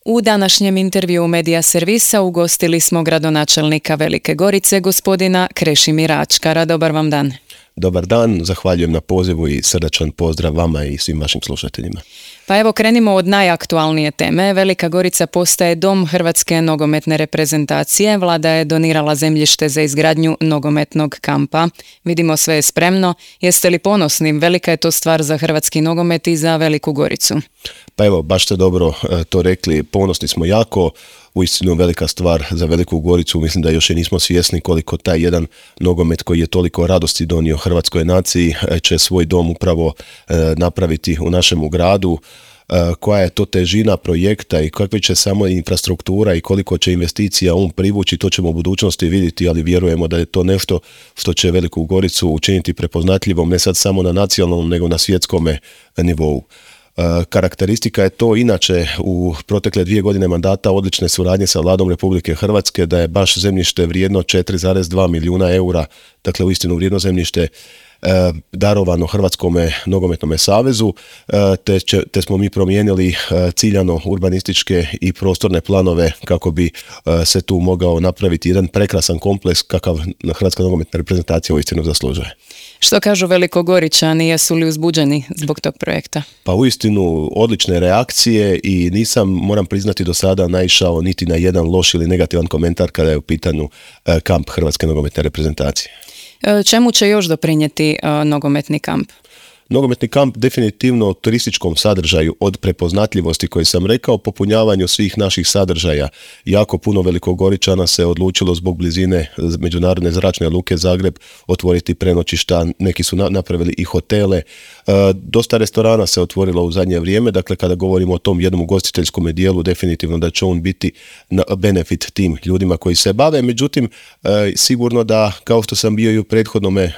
U današnjem intervjuu Medija Servisa ugostili smo gradonačelnika Velike Gorice, gospodina Krešimira Ačkara. Dobar vam dan. Dobar dan, zahvaljujem na pozivu i srdačan pozdrav vama i svim vašim slušateljima. Pa evo krenimo od najaktualnije teme. Velika Gorica postaje dom Hrvatske nogometne reprezentacije. Vlada je donirala zemljište za izgradnju nogometnog kampa. Vidimo, sve je spremno. Jeste li ponosni? Velika je to stvar za hrvatski nogomet i za Veliku Goricu. Pa evo, baš ste dobro to rekli, ponosni smo jako. Uistinu velika stvar za Veliku Goricu, mislim da još i nismo svjesni koliko taj jedan nogomet koji je toliko radosti donio hrvatskoj naciji će svoj dom upravo napraviti u našemu gradu. Koja je to težina projekta i kakva će samo infrastruktura i koliko će investicija on privući, to ćemo u budućnosti vidjeti, ali vjerujemo da je to nešto što će Veliku Goricu učiniti prepoznatljivom ne sad samo na nacionalnom nego na svjetskome nivou. Karakteristika je to inače u protekle 2 godine mandata odlične suradnje sa Vladom Republike Hrvatske, da je baš zemljište vrijedno 4,2 milijuna eura, dakle uistinu vrijedno zemljište darovano Hrvatskome nogometnome savezu, te smo mi promijenili ciljano urbanističke i prostorne planove kako bi se tu mogao napraviti jedan prekrasan kompleks kakav Hrvatska nogometna reprezentacija uistinu zaslužuje. Što kažu Velikogoričani, jesu li uzbuđeni zbog tog projekta? Pa uistinu odlične reakcije i nisam, moram priznati, do sada naišao niti na jedan loš ili negativan komentar kada je u pitanju kamp Hrvatske nogometne reprezentacije. Čemu će još doprinijeti nogometni kamp? Nogometni kamp definitivno turističkom sadržaju, od prepoznatljivosti koji sam rekao, popunjavanju svih naših sadržaja. Jako puno Velikogoričana se odlučilo zbog blizine međunarodne zračne luke Zagreb otvoriti prenoćišta, neki su napravili i hotele. Dosta restorana se otvorilo u zadnje vrijeme, dakle kada govorimo o tom jednom ugostiteljskom dijelu, definitivno da će on biti benefit tim ljudima koji se bave. Međutim, sigurno da, kao što sam bio i u prethodnome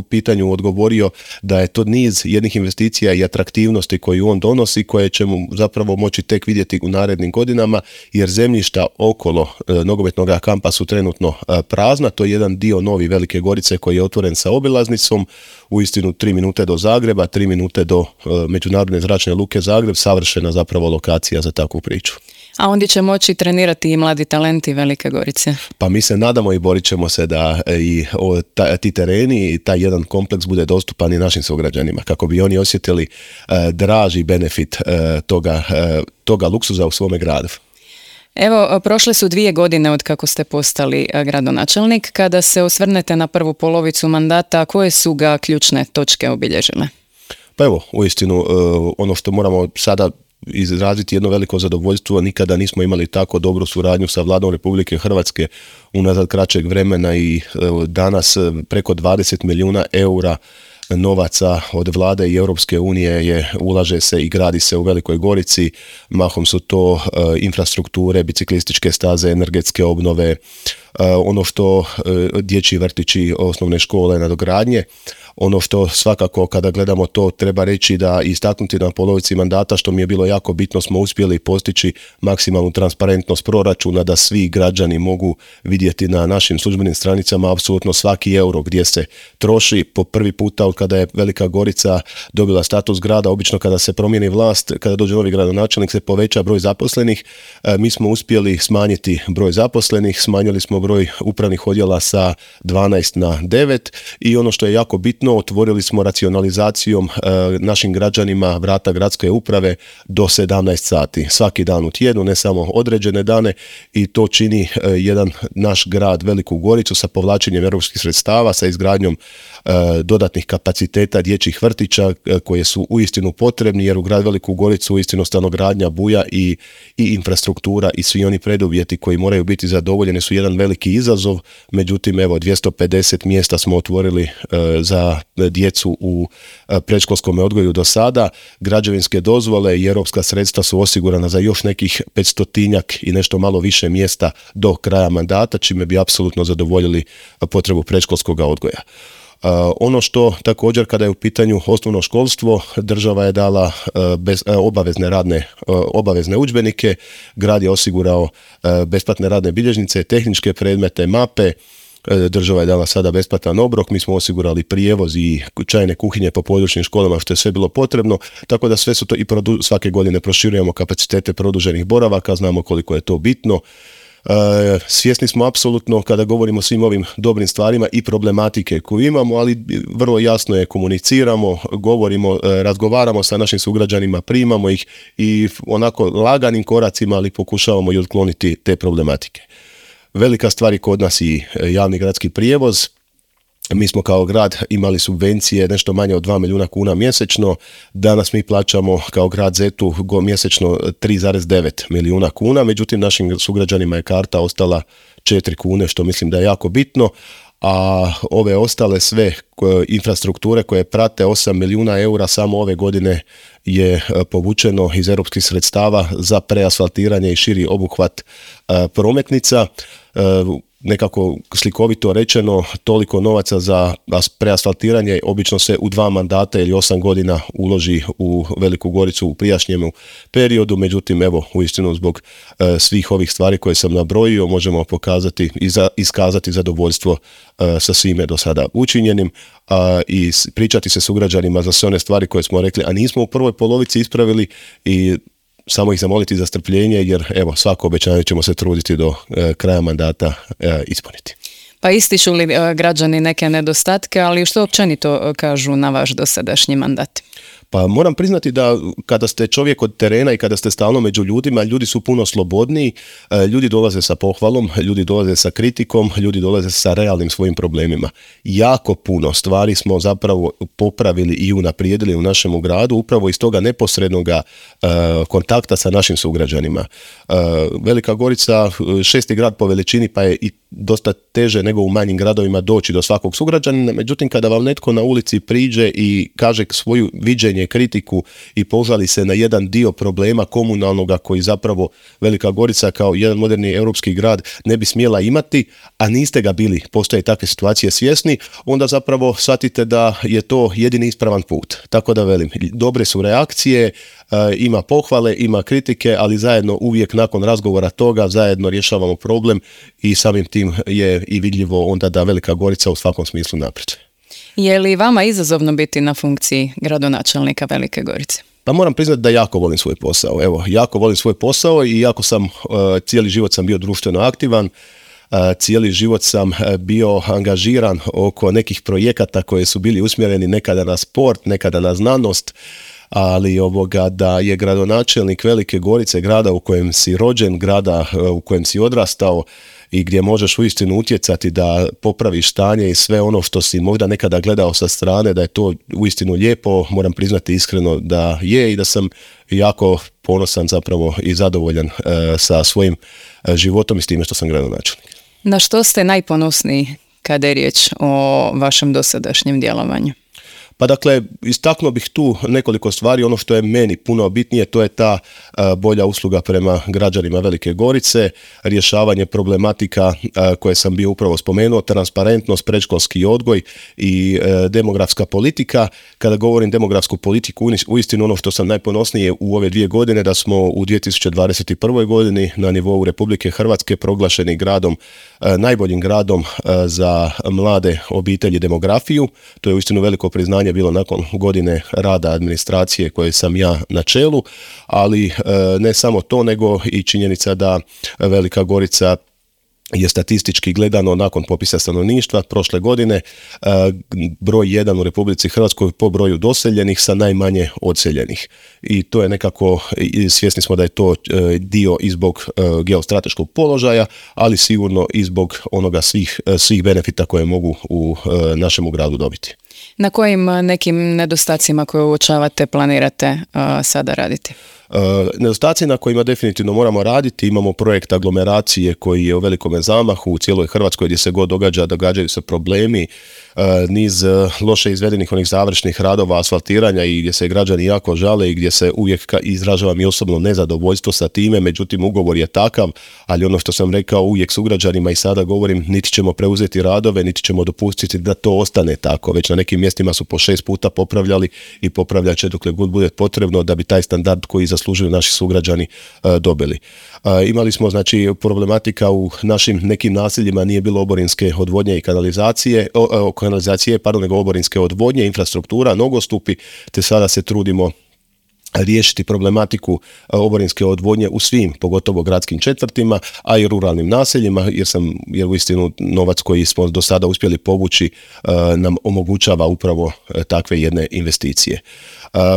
pitanju odgovorio, da je to niz jednih investicija i atraktivnosti koju on donosi, koje ćemo zapravo moći tek vidjeti u narednim godinama, jer zemljišta okolo nogometnog kampa su trenutno prazna. To je jedan dio Novi Velike Gorice koji je otvoren sa obilaznicom, uistinu 3 minute do Zagreba, 3 minute do međunarodne zračne luke Zagreb, savršena zapravo lokacija za takvu priču. A ondje će moći trenirati i mladi talenti Velike Gorice? Pa mi se nadamo i borit ćemo se da i ti tereni i taj jedan kompleks bude dostupan i našim sugrađanima, kako bi oni osjetili draži benefit toga luksuza u svome gradu. Evo, prošle su 2 godine od kako ste postali gradonačelnik. Kada se osvrnete na prvu polovicu mandata, koje su ga ključne točke obilježile? Pa evo, uistinu, ono što moramo sada izraziti jedno veliko zadovoljstvo, nikada nismo imali tako dobru suradnju sa Vladom Republike Hrvatske unazad kraćeg vremena i danas preko 20 milijuna eura novaca od Vlade i Europske unije ulaže se i gradi se u Velikoj Gorici. Mahom su to infrastrukture, biciklističke staze, energetske obnove, ono što dječji vrtići, osnovne škole, nadogradnje. Ono što svakako kada gledamo to treba reći da istaknuti na polovici mandata, što mi je bilo jako bitno, smo uspjeli postići maksimalnu transparentnost proračuna, da svi građani mogu vidjeti na našim službenim stranicama apsolutno svaki euro gdje se troši. Po prvi puta od kada je Velika Gorica dobila status grada, obično kada se promijeni vlast, kada dođe novi gradonačelnik, se poveća broj zaposlenih. Mi smo uspjeli smanjiti broj zaposlenih, smanjili smo broj upravnih odjela sa 12 na 9 i ono što je jako bitno, otvorili smo racionalizacijom našim građanima vrata gradske uprave do 17 sati. Svaki dan u tjednu, ne samo određene dane, i to čini jedan naš grad Veliku Goricu sa povlačenjem europskih sredstava, sa izgradnjom dodatnih kapaciteta dječjih vrtića koje su uistinu potrebni, jer u grad Veliku Goricu uistinu stanogradnja buja i infrastruktura i svi oni preduvjeti koji moraju biti zadovoljeni su jedan veliki izazov. Međutim, evo, 250 mjesta smo otvorili za djecu u predškolskom odgoju do sada. Građevinske dozvole i europska sredstva su osigurana za još nekih 500-tinjak i nešto malo više mjesta do kraja mandata, čime bi apsolutno zadovoljili potrebu predškolskog odgoja. Ono što također, kada je u pitanju osnovno školstvo, država je dala obavezne udžbenike, grad je osigurao besplatne radne bilježnice, tehničke predmete, mape, Država je dala sada besplatan obrok, mi smo osigurali prijevoz i čajne kuhinje po područnim školama što je sve bilo potrebno, tako da sve su to i svake godine proširujemo kapacitete produženih boravaka, znamo koliko je to bitno. Svjesni smo apsolutno kada govorimo o svim ovim dobrim stvarima i problematike koju imamo, ali vrlo jasno je komuniciramo, govorimo, razgovaramo sa našim sugrađanima, primamo ih i onako laganim koracima, ali pokušavamo i otkloniti te problematike. Velika stvar je kod nas i javni gradski prijevoz. Mi smo kao grad imali subvencije nešto manje od 2 milijuna kuna mjesečno, danas mi plaćamo kao grad Zetu mjesečno 3,9 milijuna kuna, međutim našim sugrađanima je karta ostala 4 kune, što mislim da je jako bitno, a ove ostale sve infrastrukture koje prate 8 milijuna eura samo ove godine je povučeno iz europskih sredstava za preasfaltiranje i širi obuhvat prometnica. Nekako slikovito rečeno, toliko novaca za preasfaltiranje obično se u 2 mandata ili 8 godina uloži u Veliku Goricu u prijašnjem periodu, međutim evo uistinu zbog svih ovih stvari koje sam nabrojio možemo pokazati i iskazati zadovoljstvo sa svime do sada učinjenim i pričati se sugrađanima za sve one stvari koje smo rekli, a nismo u prvoj polovici ispravili i samo ih zamoliti za strpljenje jer evo svako obećanje ćemo se truditi do kraja mandata ispuniti. Pa ističu li građani neke nedostatke, ali što općenito kažu na vaš dosadašnji mandat? Pa moram priznati da kada ste čovjek od terena i kada ste stalno među ljudima, ljudi su puno slobodniji, ljudi dolaze sa pohvalom, ljudi dolaze sa kritikom, ljudi dolaze sa realnim svojim problemima. Jako puno stvari smo zapravo popravili i unaprijedili u našemu gradu, upravo iz toga neposrednog kontakta sa našim sugrađanima. Velika Gorica, 6. grad po veličini, pa je i dosta teže nego u manjim gradovima doći do svakog sugrađanina, međutim kada vam netko na ulici priđe i kaže svoju viđenje, kritiku i požali se na jedan dio problema komunalnoga koji zapravo Velika Gorica kao jedan moderni europski grad ne bi smjela imati, a niste ga bili, postoje takve situacije svjesni, onda zapravo shvatite da je to jedini ispravan put. Tako da velim, dobre su reakcije, ima pohvale, ima kritike, ali zajedno uvijek nakon razgovora toga zajedno rješavamo problem i samim tim je i vidljivo onda da Velika Gorica u svakom smislu napreduje. Je li vama izazovno biti na funkciji gradonačelnika Velike Gorice? Pa moram priznati da jako volim svoj posao. Evo, jako volim svoj posao i jako sam, cijeli život sam bio društveno aktivan, cijeli život sam bio angažiran oko nekih projekata koji su bili usmjereni nekada na sport, nekada na znanost, ali da je gradonačelnik Velike Gorice, grada u kojem si rođen, grada u kojem si odrastao i gdje možeš uistinu utjecati da popraviš stanje i sve ono što si možda nekada gledao sa strane, da je to uistinu lijepo, moram priznati iskreno da je i da sam jako ponosan zapravo i zadovoljan sa svojim životom i s time što sam gradonačelnik. Na što ste najponosniji kada je riječ o vašem dosadašnjem djelovanju? Pa dakle, istaknuo bih tu nekoliko stvari, ono što je meni puno bitnije, to je ta bolja usluga prema građanima Velike Gorice, rješavanje problematika koje sam bio upravo spomenuo, transparentnost, predškolski odgoj i demografska politika. Kada govorim demografsku politiku, uistinu ono što sam najponosnije u ove 2 godine, da smo u 2021. godini na nivou Republike Hrvatske proglašeni gradom, najboljim gradom za mlade obitelji demografiju. To je uistinu veliko priznanje bilo nakon godine rada administracije koje sam ja na čelu, ali ne samo to, nego i činjenica da Velika Gorica je statistički gledano nakon popisa stanovništva prošle godine broj 1 u Republici Hrvatskoj po broju doseljenih sa najmanje odseljenih. I to je nekako, svjesni smo da je to dio i zbog geostrateškog položaja, ali sigurno i zbog onoga svih benefita koje mogu u našemu gradu dobiti. Na kojim nekim nedostacima koje uočavate planirate sada raditi? Nedostaci na kojima definitivno moramo raditi, imamo projekt aglomeracije koji je u velikome zamahu u cijeloj Hrvatskoj gdje se god događaju se problemi, niz loše izvedenih onih završnih radova asfaltiranja i gdje se građani jako žale i gdje se uvijek izražavam i osobno nezadovoljstvo sa time, međutim ugovor je takav, ali ono što sam rekao uvijek sugrađanima i sada govorim, niti ćemo preuzeti radove, niti ćemo dopustiti da to ostane tako, već na nekim mjestima su po 6 puta popravljali i popravljat će dokle god bude potrebno da bi taj standard koji zaslužujemo zaslužuju naši sugrađani dobili. Imali smo znači problematika u našim nekim naseljima, nije bilo oborinske odvodnje i kanalizacije, nego oborinske odvodnje, infrastruktura, nogostupi, te sada se trudimo riješiti problematiku oborinske odvodnje u svim, pogotovo gradskim četvrtima, a i ruralnim naseljima, jer uistinu novac koji smo do sada uspjeli povući nam omogućava upravo takve jedne investicije.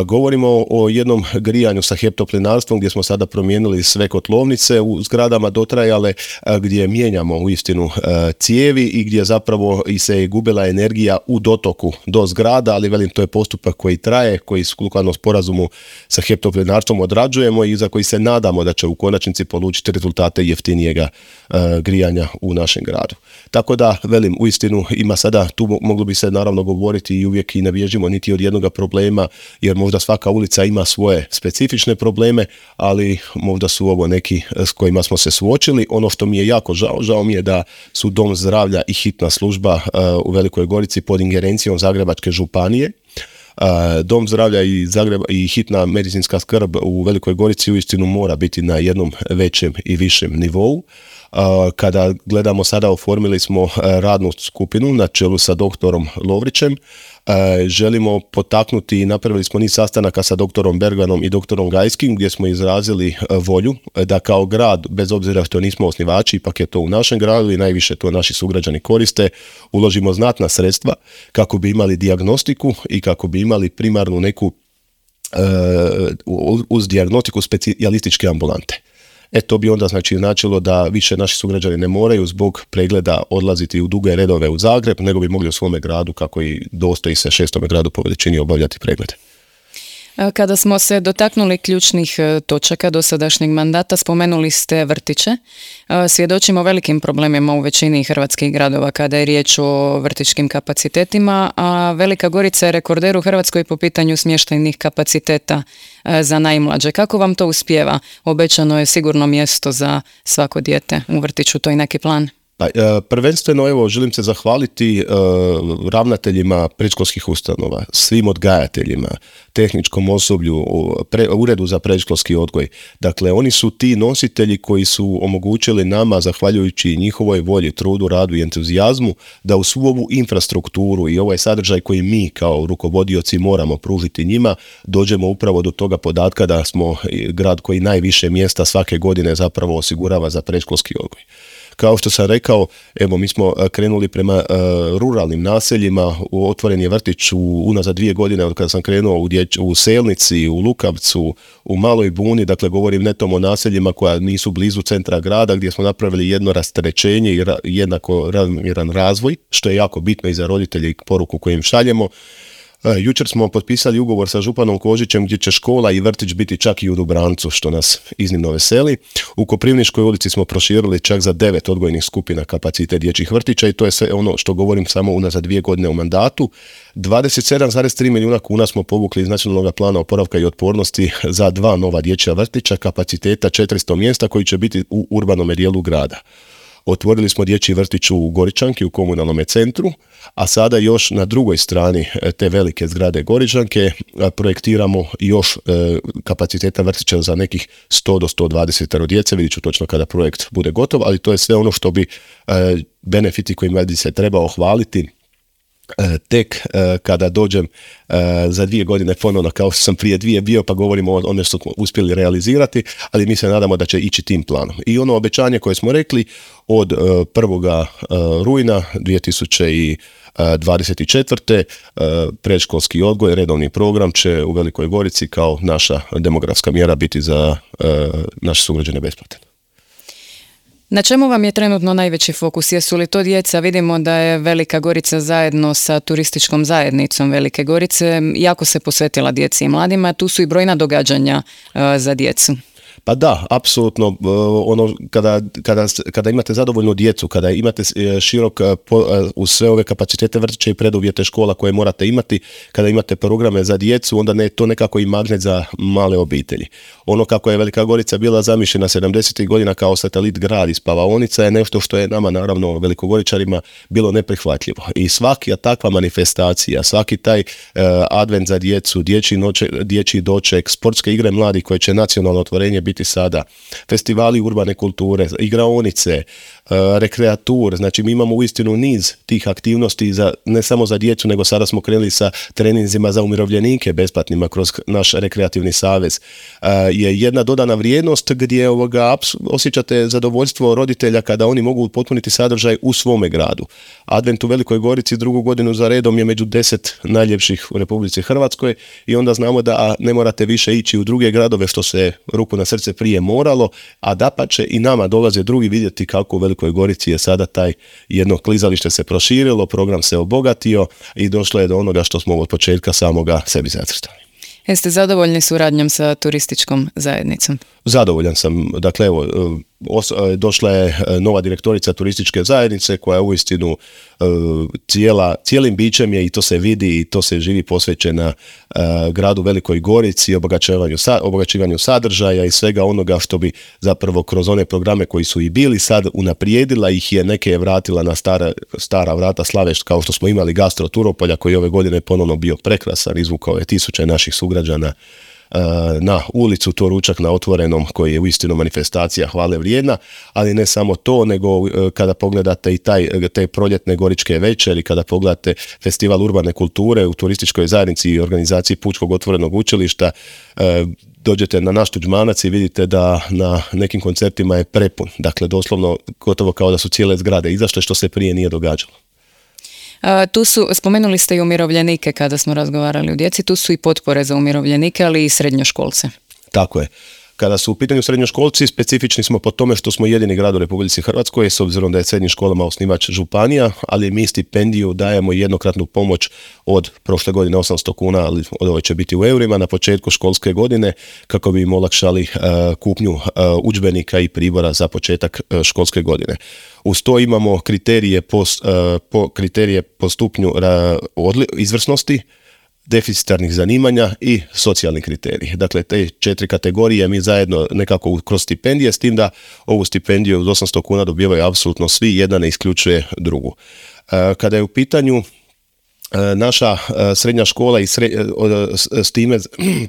Govorimo o jednom grijanju sa HEP Toplinarstvom gdje smo sada promijenili sve kotlovnice u zgradama dotrajale, gdje mijenjamo uistinu cijevi i gdje zapravo i se gubila energija u dotoku do zgrada, ali velim, to je postupak koji traje, koji sukladno sporazumu sa HEP Toplinarstvom odrađujemo i za koji se nadamo da će u konačnici polučiti rezultate jeftinijega grijanja u našem gradu. Tako da, velim, uistinu ima sada, tu moglo bi se naravno govoriti i uvijek i ne bježimo niti od jednoga problema, jer možda svaka ulica ima svoje specifične probleme, ali možda su ovo neki s kojima smo se suočili. Ono što mi je jako žao mi je da su Dom zdravlja i hitna služba u Velikoj Gorici pod ingerencijom Zagrebačke županije. Dom zdravlja i hitna medicinska skrb u Velikoj Gorici uistinu mora biti na jednom većem i višem nivou. Kada gledamo sada, oformili smo radnu skupinu na čelu sa doktorom Lovrićem. Želimo potaknuti i napravili smo niz sastanaka sa doktorom Bergmanom i doktorom Gajskim gdje smo izrazili volju da kao grad, bez obzira što nismo osnivači, ipak je to u našem gradu i najviše to naši sugrađani koriste, uložimo znatna sredstva kako bi imali dijagnostiku i kako bi imali primarnu neku uz dijagnostiku specijalističke ambulante. To bi onda značilo da više naši sugrađani ne moraju zbog pregleda odlaziti u duge redove u Zagreb, nego bi mogli u svome gradu, kako i dostoji se 6. gradu po veličini, obavljati preglede. Kada smo se dotaknuli ključnih točaka dosadašnjeg mandata, spomenuli ste vrtiće. Svjedočimo velikim problemima u većini hrvatskih gradova kada je riječ o vrtićkim kapacitetima, a Velika Gorica je rekorder u Hrvatskoj po pitanju smještajnih kapaciteta za najmlađe. Kako vam to uspijeva? Obećano je sigurno mjesto za svako dijete u vrtiću, to je neki plan. Prvenstveno, želim se zahvaliti ravnateljima predškolskih ustanova, svim odgajateljima, tehničkom osoblju, uredu za predškolski odgoj. Dakle, oni su ti nositelji koji su omogućili nama, zahvaljujući njihovoj volji, trudu, radu i entuzijazmu, da u svu ovu infrastrukturu i ovaj sadržaj koji mi kao rukovodioci moramo pružiti njima, dođemo upravo do toga podatka da smo grad koji najviše mjesta svake godine zapravo osigurava za predškolski odgoj. Kao što sam rekao, mi smo krenuli prema ruralnim naseljima, otvoren je vrtić unazad 2 godine od kada sam krenuo u Selnici, u Lukavcu, u Maloj Buni, dakle govorim netom o naseljima koja nisu blizu centra grada, gdje smo napravili jedno rasterećenje i jednako ravnomjeran razvoj, što je jako bitno i za roditelje i poruku koju im šaljemo. Jučer smo potpisali ugovor sa županom Kožićem gdje će škola i vrtić biti čak i u Dubrancu, što nas iznimno veseli. U Koprivničkoj ulici smo proširili čak za 9 odgojnih skupina kapacitet dječjih vrtića i to je sve ono što govorim samo unazad 2 godine u mandatu. 27,3 milijuna kuna smo povukli iz Nacionalnog plana oporavka i otpornosti za 2 nova dječja vrtića kapaciteta 400 mjesta koji će biti u urbanom dijelu grada. Otvorili smo dječji vrtić u Goričanki u komunalnom centru, a sada još na drugoj strani te velike zgrade Goričanke projektiramo još kapaciteta vrtića za nekih 100 do 120 djece. Vidit ću točno kada projekt bude gotov, ali to je sve ono što bi benefiti kojima bi se trebao hvaliti tek kada dođem za 2 godine ponovno kao što sam prije 2 bio, pa govorimo o ono što smo uspjeli realizirati, ali mi se nadamo da će ići tim planom. I ono obećanje koje smo rekli od 1. rujna 2024. predškolski odgoj, redovni program će u Velikoj Gorici kao naša demografska mjera biti za naše sugrađane besplatan. Na čemu vam je trenutno najveći fokus? Jesu li to djeca? Vidimo da je Velika Gorica zajedno sa turističkom zajednicom Velike Gorice jako se posvetila djeci i mladima. Tu su i brojna događanja za djecu. Pa da, apsolutno, kada imate zadovoljnu djecu, kada imate širok uz sve ove kapacitete vrtića i preduvjete škola koje morate imati, kada imate programe za djecu, onda je to nekako i magnet za male obitelji. Ono kako je Velika Gorica bila zamišljena 70. godina kao satelit grad i spavaonica je nešto što je nama, naravno, velikogoričarima bilo neprihvatljivo. I svaka takva manifestacija, svaki taj advent za djecu, dječji doček, sportske igre mladih koje će nacionalno otvorenje biti sada, festivali urbane kulture, igraonice, rekreatur, znači mi imamo uistinu niz tih aktivnosti ne samo za djecu, nego sada smo krenuli sa treninzima za umirovljenike besplatnima kroz naš rekreativni savez. Je jedna dodana vrijednost gdje osjećate zadovoljstvo roditelja kada oni mogu potpuniti sadržaj u svome gradu. Advent u Velikoj Gorici drugu godinu za redom je među 10 najljepših u Republici Hrvatskoj i onda znamo da ne morate više ići u druge gradove što se ruku na srce prije moralo, a dapače i nama dolaze drugi vidjeti kako u Velikoj Gorici je sada taj jedno klizalište se proširilo, program se obogatio i došlo je do onoga što smo od početka samoga sebi zacrtali. Jeste zadovoljni suradnjom sa turističkom zajednicom? Zadovoljan sam. Dakle, evo, došla je nova direktorica turističke zajednice koja uistinu cijelim bićem je, i to se vidi i to se živi, posvećena gradu Velikoj Gorici, obogaćivanju sadržaja i svega onoga što bi zapravo kroz one programe koji su i bili sad unaprijedila ih je, neke je vratila na stara vrata Slavešt, kao što smo imali Gastro Turopolja koji ove godine ponovno bio prekrasan, izvukao je tisuće naših sugrađana na ulicu, to ručak na otvorenom koji je uistinu manifestacija hvale vrijedna, ali ne samo to, nego kada pogledate i te proljetne goričke večeri, kada pogledate festival urbane kulture u turističkoj zajednici i organizaciji Pučkog otvorenog učilišta, dođete na naš Tuđmanac i vidite da na nekim koncertima je prepun, dakle doslovno gotovo kao da su cijele zgrade izašle, što se prije nije događalo. Spomenuli ste i umirovljenike kada smo razgovarali o djeci, tu su i potpore za umirovljenike, ali i srednjoškolce. Tako je. Kada su u pitanju srednjoškolci, specifični smo po tome što smo jedini grad u Republici Hrvatskoj, s obzirom da je srednjim školama osnivač županija, ali mi stipendiju dajemo jednokratnu pomoć od prošle godine 800 kuna, ali od ove će biti u eurima na početku školske godine, kako bi im olakšali kupnju udžbenika i pribora za početak školske godine. Uz to imamo kriterije po stupnju izvrsnosti, deficitarnih zanimanja i socijalni kriteriji. Dakle, te 4 kategorije mi zajedno nekako kroz stipendije, s tim da ovu stipendiju od 800 kuna dobivaju apsolutno svi, jedna ne isključuje drugu. Kada je u pitanju naša srednja škola i s time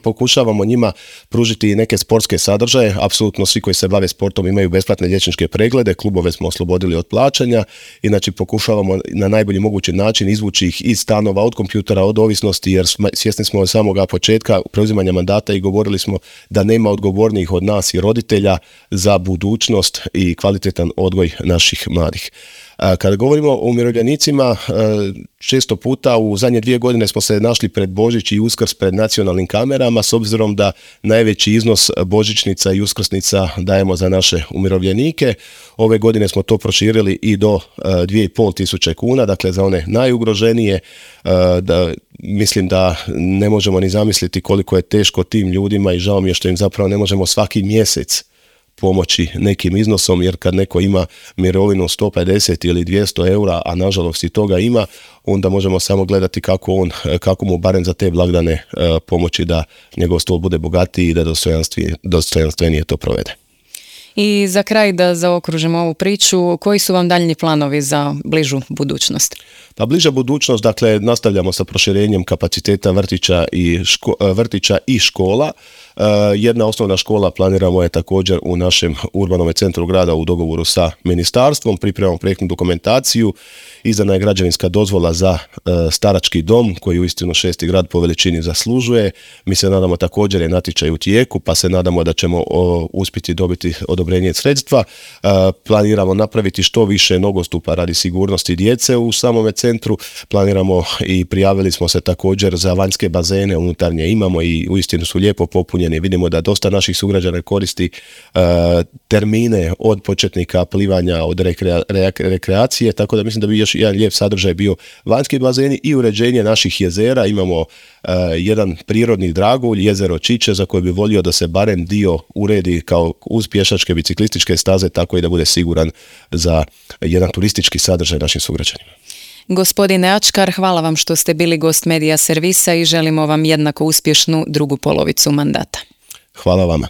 pokušavamo njima pružiti neke sportske sadržaje. Apsolutno svi koji se bave sportom imaju besplatne liječničke preglede, klubove smo oslobodili od plaćanja, inače pokušavamo na najbolji mogući način izvući ih iz stanova, od kompjutera, od ovisnosti, jer svjesni smo od samoga početka preuzimanja mandata i govorili smo da nema odgovornijih od nas i roditelja za budućnost i kvalitetan odgoj naših mladih. Kada govorimo o umirovljenicima, često puta u zadnje 2 godine smo se našli pred Božić i Uskrs pred nacionalnim kamerama, s obzirom da najveći iznos božićnica i uskrsnica dajemo za naše umirovljenike. Ove godine smo to proširili i do 2.500 kuna, dakle za one najugroženije. Mislim da ne možemo ni zamisliti koliko je teško tim ljudima i žao mi je što im zapravo ne možemo svaki mjesec pomoći nekim iznosom, jer kad neko ima mirovinu 150 ili 200 eura, a nažalost i toga ima, onda možemo samo gledati kako mu barem za te blagdane pomoći da njegov stol bude bogatiji i da dostojanstvenije to provede. I za kraj da zaokružimo ovu priču, koji su vam daljnji planovi za bližu budućnost? Pa bliža budućnost, dakle, nastavljamo sa proširenjem kapaciteta vrtića i škola. Jedna osnovna škola planiramo je također u našem urbanom centru grada u dogovoru sa ministarstvom, pripremamo projektnu dokumentaciju, izdana je građevinska dozvola za starački dom koji uistinu 6. grad po veličini zaslužuje. Mi se nadamo, također je natječaj u tijeku, pa se nadamo da ćemo uspjeti dobiti odobrenje sredstva. Planiramo napraviti što više nogostupa radi sigurnosti djece u samome centru. Planiramo i prijavili smo se također za vanjske bazene, unutarnje imamo i uistinu su lijepo popunjeni ispunjeni. Vidimo da dosta naših sugrađana koristi termine od početnika plivanja, od rekreacije, tako da mislim da bi još jedan lijep sadržaj bio vanjski bazeni i uređenje naših jezera. Imamo jedan prirodni dragulj, jezero Čiče, za koje bi volio da se barem dio uredi kao uz pješačke biciklističke staze, tako i da bude siguran za jedan turistički sadržaj našim sugrađanima. Gospodine Ačkar, hvala vam što ste bili gost Medija servisa i želimo vam jednako uspješnu drugu polovicu mandata. Hvala vama.